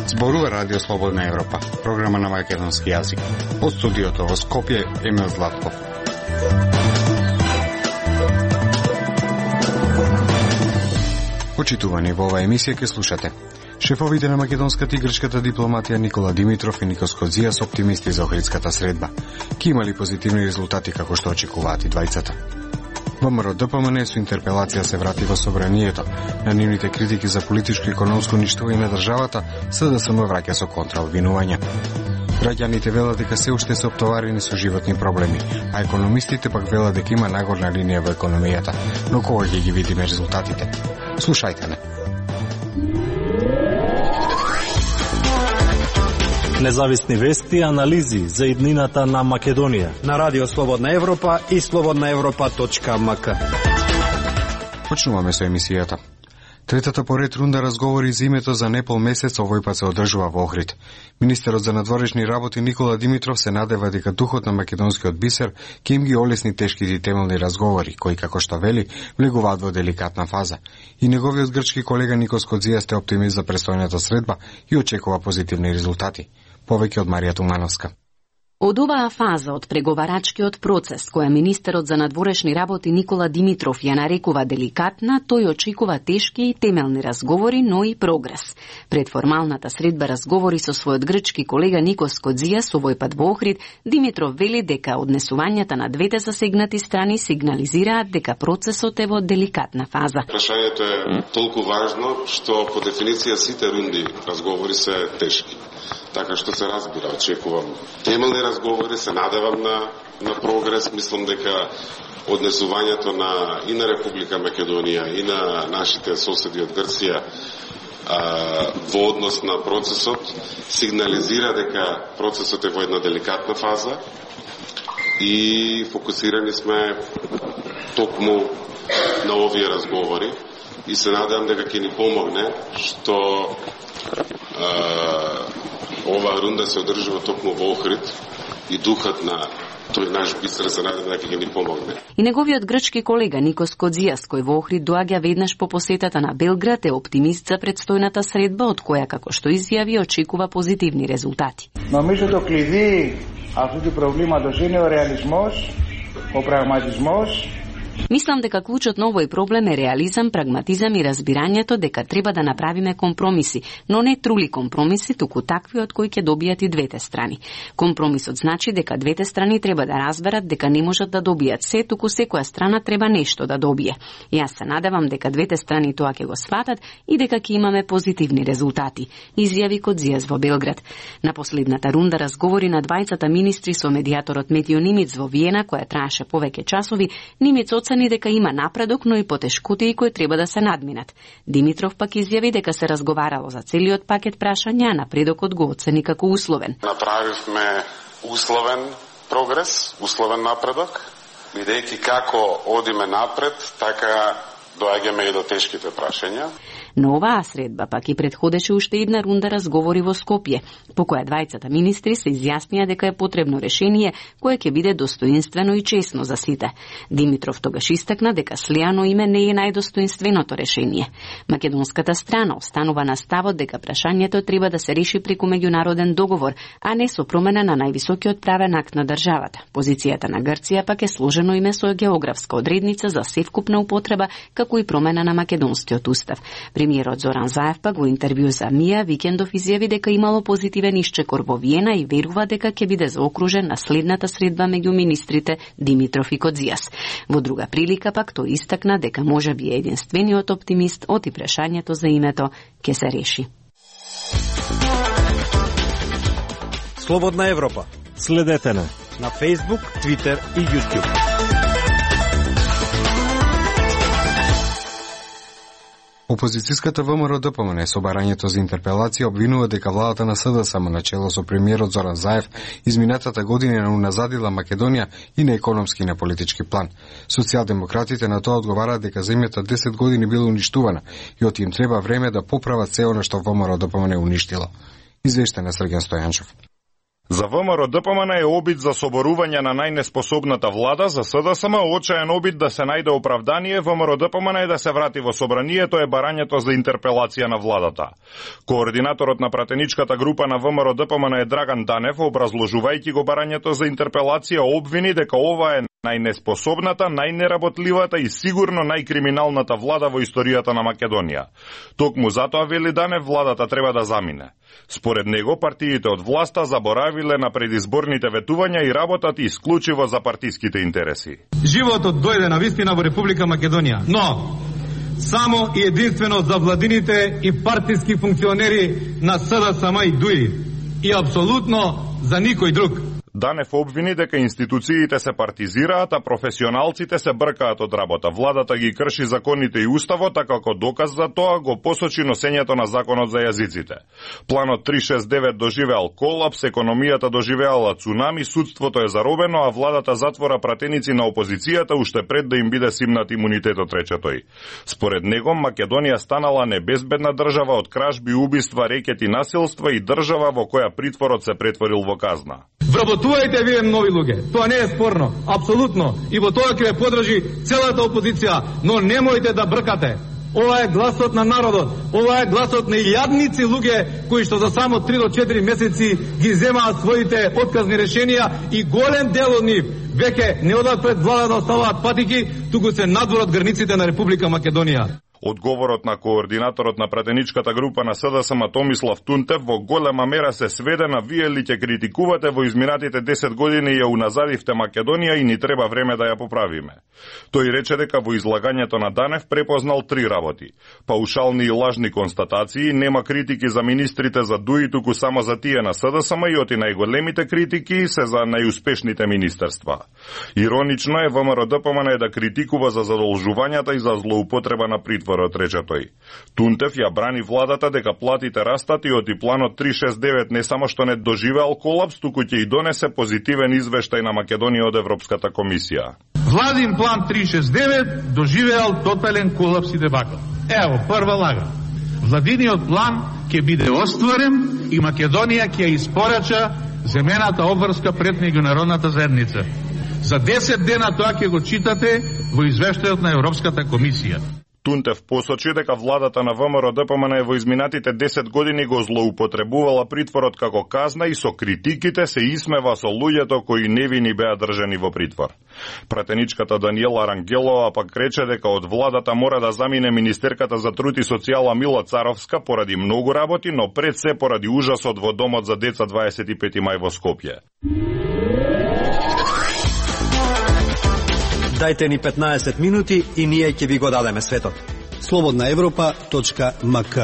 Зборува Радио Слободна Европа, програма на македонски јазик. Од студиото во Скопје, Емил Златков. Почитувани, во оваа емисија ќе слушате. Шефовите на македонската и грчката дипломатија Никола Димитров и Никос Кодзијас оптимисти за Охридската средба. Ки имали позитивни резултати како што очекуваат и двајцата. ВМРО ДПМН со интерпелација се врати во собранието. На нивните критики за политичко и економско уништување на државата, СДСМ враќа со контраобвинувања. Граѓаните велат дека се уште се оптоварени со животни проблеми, а економистите пак велат дека има нагорна линија во економијата. Но кога ќе ги видиме резултатите? Слушајте не. Независни вести и анализи за иднината на Македонија на Радио Слободна Европа и slobodnaevropa.mk. Почнуваме со емисијата. Третата поред рунда разговори за името за непол месец овој пат се одржува во Охрид. Министерот за надворешни работи Никола Димитров се надева дека духот на македонскиот бисер ќе им ги олесни тешките и темелни разговори, кои, како што вели, влегуваат во деликатна фаза. И неговиот грчки колега Никос Кодзијас е оптимист за престојната средба и очекува позитивни резултати. Повеќе од Марија Тумановска. Од оваа фаза од преговарачкиот процес, која министерот за надворешни работи Никола Димитров ја нарекува деликатна, тој очекува тешки и темелни разговори, но и прогрес. Пред формалната средба разговори со својот грчки колега Никос Кодзијас овој пат во Охрид, Димитров вели дека однесувањата на двете засегнати страни сигнализираат дека процесот е во деликатна фаза. Прашањето е толку важно што по дефиниција сите рунди разговори се тешки. Така што се разбира, очекувам темелни разговори, се надевам на прогрес. Мислам дека однесувањето и на Република Македонија и на нашите соседи од Грција во однос на процесот сигнализира дека процесот е во една деликатна фаза и фокусирани сме токму на овие разговори и се надевам дека ќе ни помогне што оваа рунда се одржува токму во Охрид и духот на тој наш бисер се надева дека ќе ни помогне. И неговиот грчки колега Никос Кодзијас, кој во Охрид доаѓа веднаш по посетата на Белград, е оптимист за предстојната средба, од која, како што изјави, очекува позитивни резултати. Νομίζω το κλειδί αυτού του προβλήματος είναι ο ρεαλισμός, ο πραγματισμός. Мислам дека клучот на овој проблем е реализам, прагматизам и разбирањето дека треба да направиме компромиси, но не трули компромиси, туку такви од кои ќе добијат и двете страни. Компромисот значи дека двете страни треба да разберат дека не можат да добијат се, туку секоја страна треба нешто да добие. Јас се надевам дека двете страни тоа ќе го сватат и дека ќе имаме позитивни резултати, изјави Кодзијас во Белград. На последната рунда разговори на двајцата министри со медијаторот Метио Нимиц во Виена, која траеше повеќе часови. Нимиц оцени дека има напредок, но и потешкотии кои треба да се надминат. Димитров пак изјави дека се разговарало за целиот пакет прашања, а напредокот го оцени како условен. Направивме условен прогрес, условен напредок, бидејќи како одиме напред, така доаѓаме и до тешките прашања. Но оваа средба пак и предходеше уште една рунда разговори во Скопје, по која двајцата министри се изјаснија дека е потребно решение кое ќе биде достоинствено и честно за сите. Димитров тогаш истакна дека слеано име не е најдостоинственото решение. Македонската страна останува на ставот дека прашањето треба да се реши преку меѓународен договор, а не со промена на највисокиот правен акт на државата. Позицијата на Грција пак е сложено име со географска одредница за севкупна употреба, како и промена на македонскиот устав. Премиерот Зоран Заев пак во интервју за МИА викендов изјави дека имало позитивен исчекор во Виена и верува дека ќе биде заокружен на следната средба меѓу министрите Димитров и Кодзијас. Во друга прилика пак тој истакна дека можеби е единствениот оптимист од и прашањето за името ќе се реши. Слободна Европа. Следете на Facebook, Twitter и YouTube. Опозицијската ВМРО ДПМН со барањето за интерпелација обвинува дека владата на СДСМ на чело со премиерот Зоран Заев изминатата година уназадила Македонија и на економски и на политички план. Социјалдемократите на тоа одговараат дека земјата 10 години била уништувана и оти им треба време да поправат се она што ВМРО ДПМН уништило. Извештен е Срген Стојанчов. За ВМРО-ДПМН е обид за соборување на најнеспособната влада, за СДСМ очаен обид да се најде оправдание ВМРО-ДПМН е да се врати во собранието е барањето за интерпелација на владата. Координаторот на пратеничката група на ВМРО-ДПМН е Драган Данев, образложувајќи го барањето за интерпелација, обвини дека ова е најнеспособната, најнеработливата и сигурно најкриминалната влада во историјата на Македонија. Токму затоа, вели Данев, владата треба да замине. Според него, партиите од власта заборавиле на предизборните ветувања и работат исклучиво за партиските интереси. Животот дојде на вистина во Република Македонија, но само и единствено за владините и партиски функционери на СДСМ и ДУИ и апсолутно за никој друг. Данев обвини дека институциите се партизираат, а професионалците се бркаат од работа. Владата ги крши законите и уставот, а како доказ за тоа го посочи носењето на законот за јазиците. Планот 369 доживеал колапс, економијата доживеала цунами, судството е заробено, а владата затвора пратеници на опозицијата уште пред да им биде симнат имунитетот, рече тој. Според него, Македонија станала небезбедна држава од кражби, убиства, рекети, насилства и држава во која притворот се претворил во казна. Вработувајте вие нови луѓе, тоа не е спорно, апсолутно, и во тоа ќе ве подржи целата опозиција, но немојте да бркате. Ова е гласот на народот, ова е гласот на илјадници луѓе кои што за само 3 до 4 месеци ги земаат своите отказни решенија и голем дел од нив веќе не одат пред влада да оставаат патики, туку се надвор од границите на Република Македонија. Одговорот на координаторот на пратеничката група на СДСМ Томислав Тунтев во голема мера се сведе на вие ли ќе критикувате во изминатите 10 години ја уназадивте Македонија и ни треба време да ја поправиме. Тој рече дека во излагањето на Данев препознал 3 работи. Паушални и лажни констатации, нема критики за министрите за ДУИ, туку само за тие на СДСМ и оти најголемите критики се за најуспешните министерства. Иронично е ВМРО-ДПМН да критикува за задолжувањата и за злоупотреба на притвор, рече тој. Тунтев ја брани владата дека платите растат и оти планот 369 не само што не доживеал колапс, туку ќе и донесе позитивен извештај на Македонија од Европската комисија. Владин план 369 доживеал тотален колапс и дебакл. Ево, прва лага. Владиниот план ќе биде остварен и Македонија ќе испорача земената обврска пред меѓународната заедница. За 10 дена тоа ќе го читате во извештајот на Европската комисија. Тунтев посочи дека владата на ВМРО-ДПМН во изминатите 10 години го злоупотребувала притворот како казна и со критиките се исмева со луѓето кои невини беа држани во притвор. Пратеничката Даниела Рангелова пак рече дека од владата мора да замине министерката за труд и социјала Мила Царовска поради многу работи, но пред се поради ужасот во домот за деца 25 мај во Скопје. Дајте ни 15 минути и ние ќе ви го дадеме светот. Слободна Европа.мк.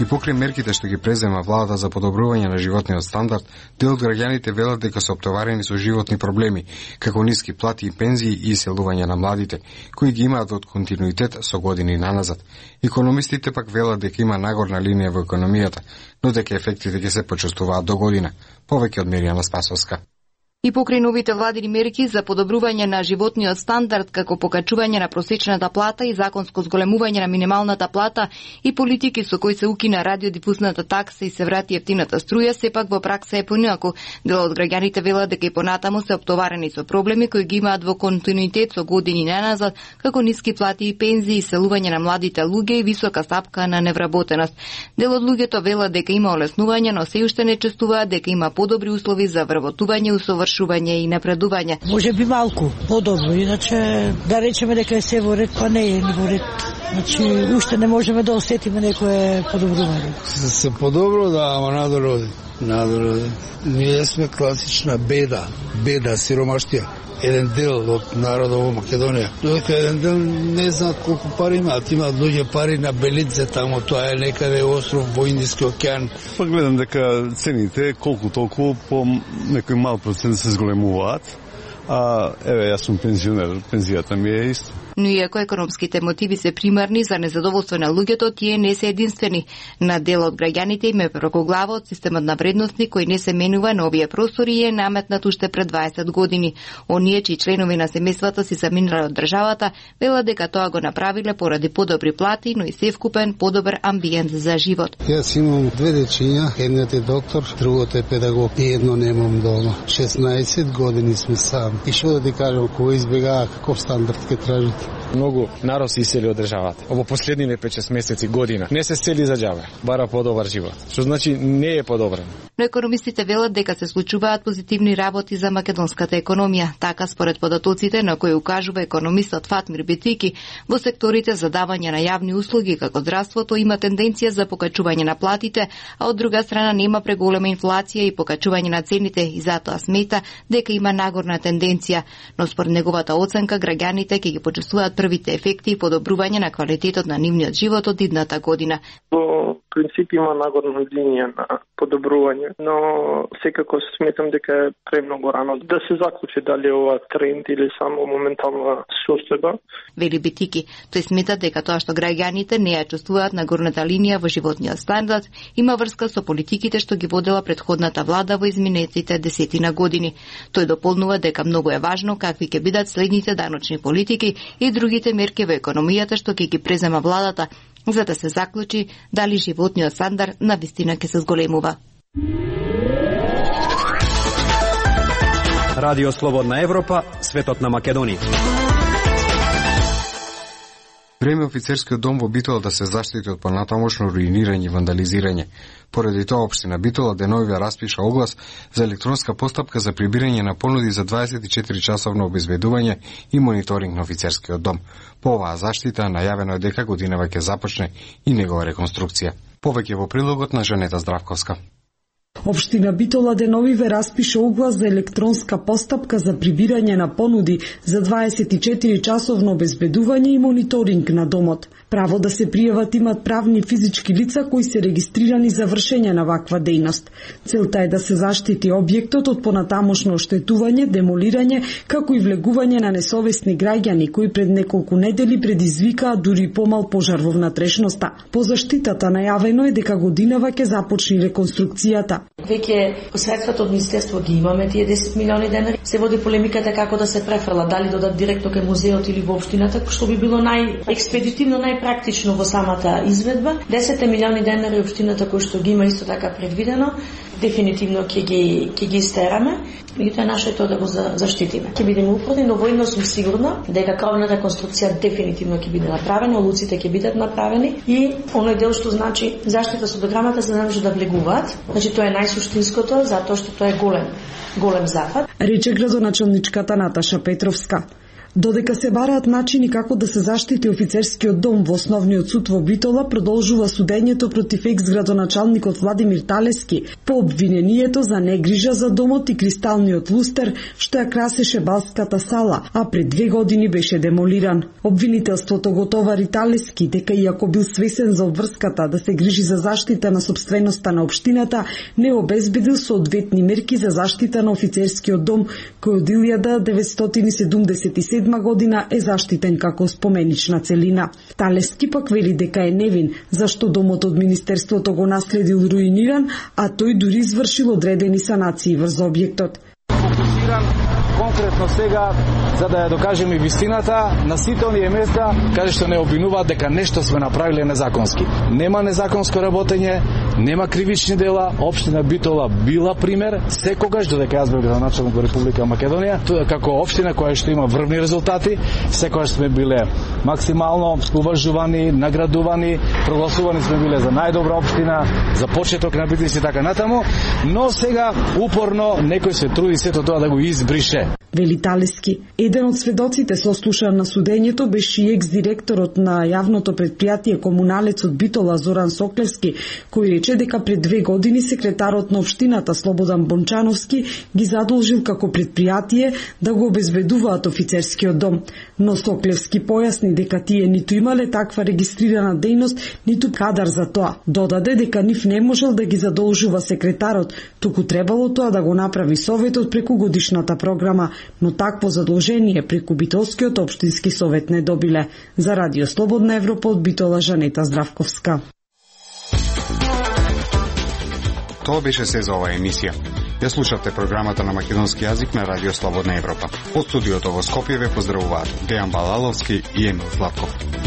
И покрај мерките што ги презема владата за подобрување на животниот стандард, дел од граѓаните велат дека се оптоварени со животни проблеми, како ниски плати и пензии и иселување на младите, кои ги имаат од континуитет со години наназад. Економистите пак велат дека има нагорна линија во економијата, но дека ефектите ќе се почувствуваат до година. Повеќе од Миријана Спасовска. И покрај новите владини мерки за подобрување на животниот стандард, како покачување на просечната плата и законско зголемување на минималната плата и политики со кои се укина радиодифузната такса и се врати ефтината струја, сепак во пракса е поинаку. Дел од граѓаните велат дека и понатаму се оптоварени со проблеми кои ги имаат во континуитет со години неназад, како ниски плати и пензии, иселување на младите луѓе и висока стапка на невработеност. Дел од луѓето велат дека има олеснување, но се уште не чувствуваат дека има подобри услови за вработување, усовршување и напредување. Може би малку подобро, иначе да речеме дека е се во ред, па не е ни во ред. Значи, уште не можеме да осетиме некое подобрување. Се подобро, да, ама надороди. Ние сме класична беда, сиромаштија. Еден дел од народот во Македонија. Додека еден дел не знаат колку пари имаат. Имаат луѓе пари на Белидзе, таму тоа е некаде остров во Индиски океан. Па гледам дека цените колку толку по некој мал процент се зголемуваат. А еве јас сум пензионер, пензијата ми е исто. Но иако економските мотиви се примарни за незадоволство на луѓето, тие не се единствени. На дел од граѓаните им е преку глава од системот на вредности кој не се менува на овие простори и е наметнат уште пред 20 години. Оние чии членови на семејствата си заминале од државата, велат дека тоа го направиле поради подобри плати, но и севкупен подобар амбиент за живот. Јас имам две дечиња, едниот е доктор, другото е педагог и едно немам дома. 16 години сме сам. И што да ти кажам, кога избегава, каков стандард ќе тражите? Многу народ се исели од државата. Ово последниве 5-6 месеци, година. Не се сели за џабе, бара подобар живот. Што значи не е подобрен. Но економистите велат дека се случуваат позитивни работи за македонската економија. Така според податоците на кои укажува економистот Фатмир Бетики, во секторите за давање на јавни услуги како здравството има тенденција за покачување на платите, а од друга страна нема преголема инфлација и покачување на цените и затоа смета дека има нагорна тенденција. Но според неговата оценка граѓаните ќе ги почувствуваат првите ефекти и подобрување на квалитетот на нивниот живот од идната година. Во принцип има нагорна линија на подобрување, но секако сметам дека е премногу рано да се заклучи дали ова тренд или само моментална состојба. Вели Бетики, тој смета дека тоа што граѓаните не ја чувствуваат нагорната линија во животниот стандард има врска со политиките што ги водела претходната влада во изминатите 10 години. Тој дополнува дека многу е важно какви ќе бидат следните даночни политики и другите мерки во економијата што ќе ги презема владата, за да се заклучи дали животниот стандард навистина ќе се зголемува. Радио Слободна Европа, светот на Македонија. Време офицерскиот дом во Битола да се заштити од понатамошно руинирање и вандализирање. Поради тоа општина Битола деновиве распиша оглас за електронска постапка за прибирање на понуди за 24-часовно обезбедување и мониторинг на офицерскиот дом. По оваа заштита најавено е дека годинава ќе започне и негова реконструкција. Повеќе во прилогот на Жанета Здравковска. Општина Битола деновиве распиша оглас за електронска постапка за прибирање на понуди за 24-часовно обезбедување и мониторинг на домот. Право да се пријават имат правни и физички лица кои се регистрирани за вршење на ваква дејност. Целта е да се заштити објектот од понатамошно оштетување, демолирање, како и влегување на несовесни граѓани кои пред неколку недели предизвикаа дури помал пожар во внатрешноста. По заштитата најавено е дека годинава ќе започне реконструкцијата. Веќе средствата од Министерство ги имаме, тие 10 милиони денари. Се води полемиката како да се префрла, дали додат директно кај музеот или во општината, што би било најекспедитивно, најпрактично во самата изведба. 10 милиони денари општината кој што ги има исто така предвидено, дефинитивно ќе ги истераме. Меѓутоа нашето е да го заштитиме. Ќе бидеме упорни, но војно сум сигурна дека кровната реконструкција дефинитивно ќе биде направена, луците ќе бидат направени и оној дел што значи заштита со дограмата за да може да влегуваат. Значи тоа е најсуштинското, затоа што тоа е голем зафат. Рече градоначалничката Наташа Петровска. Додека се бараат начини како да се заштити офицерскиот дом во основниот суд во Битола, продолжува судењето против екс-градоначалникот Владимир Талески по обвинението за негрижа за домот и кристалниот лустер што ја красеше балската сала, а пред 2 години беше демолиран. Обвинителството го товари Талески дека иако бил свесен за обврската да се грижи за заштита на сопственоста на општината, не обезбедил соодветни мерки за заштита на офицерскиот дом кој од 1977 година е заштитен како споменична целина. Талески пак вели дека е невин, зашто домот од Министерството го наследил руиниран, а тој дури извршил одредени санации врз објектот. Фокусиран конкретно сега за да ја докажеме вистината на сите оние места каде што не обвинуваат дека нешто сме направиле незаконски. Нема незаконско работење, нема кривични дела. Општина Битола била пример секогаш додека јас бев градоначалник во Република Македонија, како општина која што има врвни резултати, секогаш сме биле максимално уважувани, наградувани, прогласувани сме биле за најдобра општина, за почеток на бизнис и така натаму, но сега упорно некој се труди сето тоа да го избрише. Вели Талески. Еден од сведоците сослушан на судењето беше и екс-директорот на јавното предпријатие Комуналец од Битола Зоран Соклевски, кој рече дека пред 2 години секретарот на општината Слободан Бончановски ги задолжил како предпријатие да го обезбедуваат офицерскиот дом. Но Соклевски појасни дека тие ниту имале таква регистрирана дејност, ниту кадар за тоа. Додаде дека нив не можел да ги задолжува секретарот, туку требало тоа да го направи советот преку годишната програма но такво задолжение преку Битолскиот општински совет не добиле. За Радио Слободна Европа од Битола, Жанета Здравковска. Тоа беше се за оваа емисија. Ја слушавте програмата на македонски јазик на Радио Слободна Европа. Од студиото во Скопје ве поздравуваат Дејан Балаловски и Емил Златков.